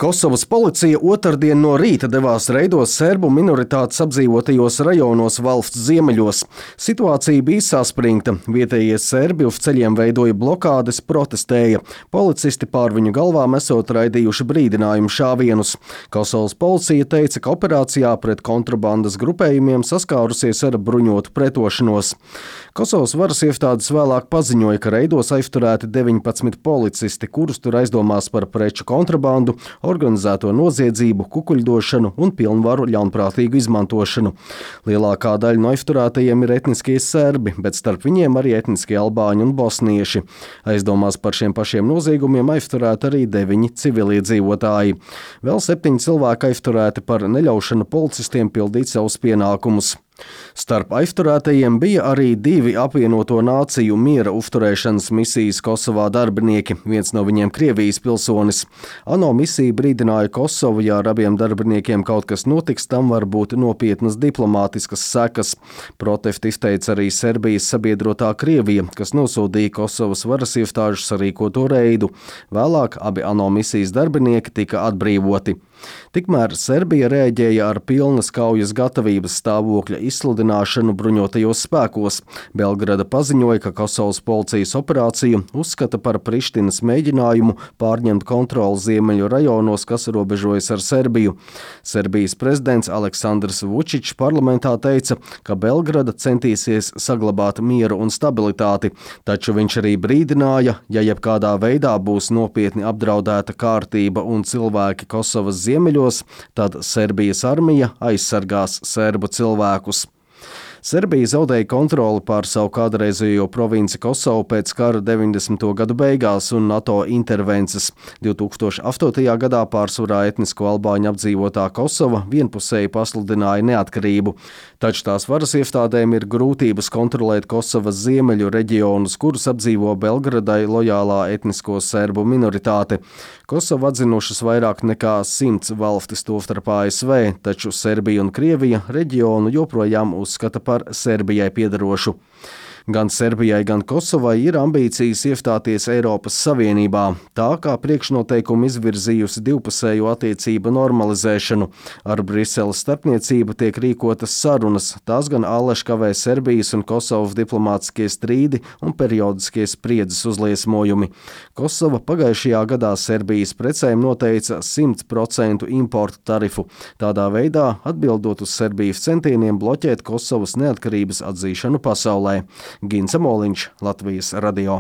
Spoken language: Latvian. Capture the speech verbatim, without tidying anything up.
Kosovas policija otrdien no rīta devās reidos serbu minoritātes apdzīvotajos rajonos valsts ziemeļos. Situācija bija saspringta. Vietējie serbi uz ceļiem veidoja blokādes, protestēja. Policisti pār viņu galvām esot raidījuši brīdinājumu šāvienus. Kosovas policija teica, ka operācijā pret kontrabandas grupējumiem saskārusies ar bruņotu pretošanos. Kosovas varas iestādes vēlāk paziņoja, ka reidos aizturēti deviņpadsmit policisti, kurus tur aizdomās par preču kontrabandu, organizēto noziedzību, kukuļdošanu un pilnvaru ļaunprātīgu izmantošanu. Lielākā daļa no aizturētajiem ir etniskie serbi, bet starp viņiem arī etniskie albāņi un bosnieši. Aizdomās par šiem pašiem noziegumiem aizturēti arī deviņi civiliedzīvotāji. Vēl septiņi cilvēki aizturēti par neļaušanu policistiem pildīt savus pienākumus. Starp aizturētajiem bija arī divi apvienoto nāciju miera uzturēšanas misijas Kosovā darbinieki, viens no viņiem Krievijas pilsonis. ANO misija brīdināja Kosovu, ja ar abiem darbiniekiem kaut kas notiks, tam var būt nopietnas diplomātiskas sekas. Protestu izteica arī Serbijas sabiedrotā Krievija, kas nosodīja Kosovas varas iestāžu sarīkoto reidu. Vēlāk abi ANO misijas darbinieki tika atbrīvoti. Tikmēr Serbija rēģēja ar pilnas kaujas gatavības stāvokļa izsludināšanu bruņotajos spēkos. Belgrada paziņoja, ka Kosovas policijas operāciju uzskata par Prištinas mēģinājumu pārņemt kontroli ziemeļu rajonos, kas robežojas ar Serbiju. Serbijas prezidents Aleksandrs Vučičs parlamentā teica, ka Belgrada centīsies saglabāt mieru un stabilitāti, taču viņš arī brīdināja, ja jebkādā veidā būs nopietni apdraudēta kārtība un cilvēki Kosovas ziemeļos, tad Serbijas armija aizsargās serbu cilvēkus. Serbija zaudēja kontroli pār savu kādreizējo provinci Kosovu pēc kara deviņdesmito gadu beigās un NATO intervences. divtūkstoš astotajā gadā pārsvarā etnisko albāņu apdzīvotā Kosova vienpusēji pasludināja neatkarību. Taču tās varas iestādēm ir grūtības kontrolēt Kosovas ziemeļu reģionus, kurus apdzīvo Belgradai lojālā etnisko serbu minoritāte. Kosovu atzinušas vairāk nekā simts valstis, tostarp A S V, taču Serbija un Krievija reģionu joprojām uzskata par par Serbijai piedarošu. Gan Serbijai, gan Kosovai ir ambīcijas iestāties Eiropas Savienībā, tā kā priekšnoteikumu izvirzījusi divpusējo attiecību normalizēšanu. Ar Briseles starpniecību tiek rīkotas sarunas, tās gan allaž kavē Serbijas un Kosovas diplomātiskie strīdi un periodiskie spriedzes uzliesmojumi. Kosova pagājušajā gadā Serbijas precēm noteica simt procentu importu tarifu, tādā veidā atbildot uz Serbijas centieniem bloķēt Kosovas neatkarības atzīšanu pasaulē. Gins Amoliņš, Latvijas radio.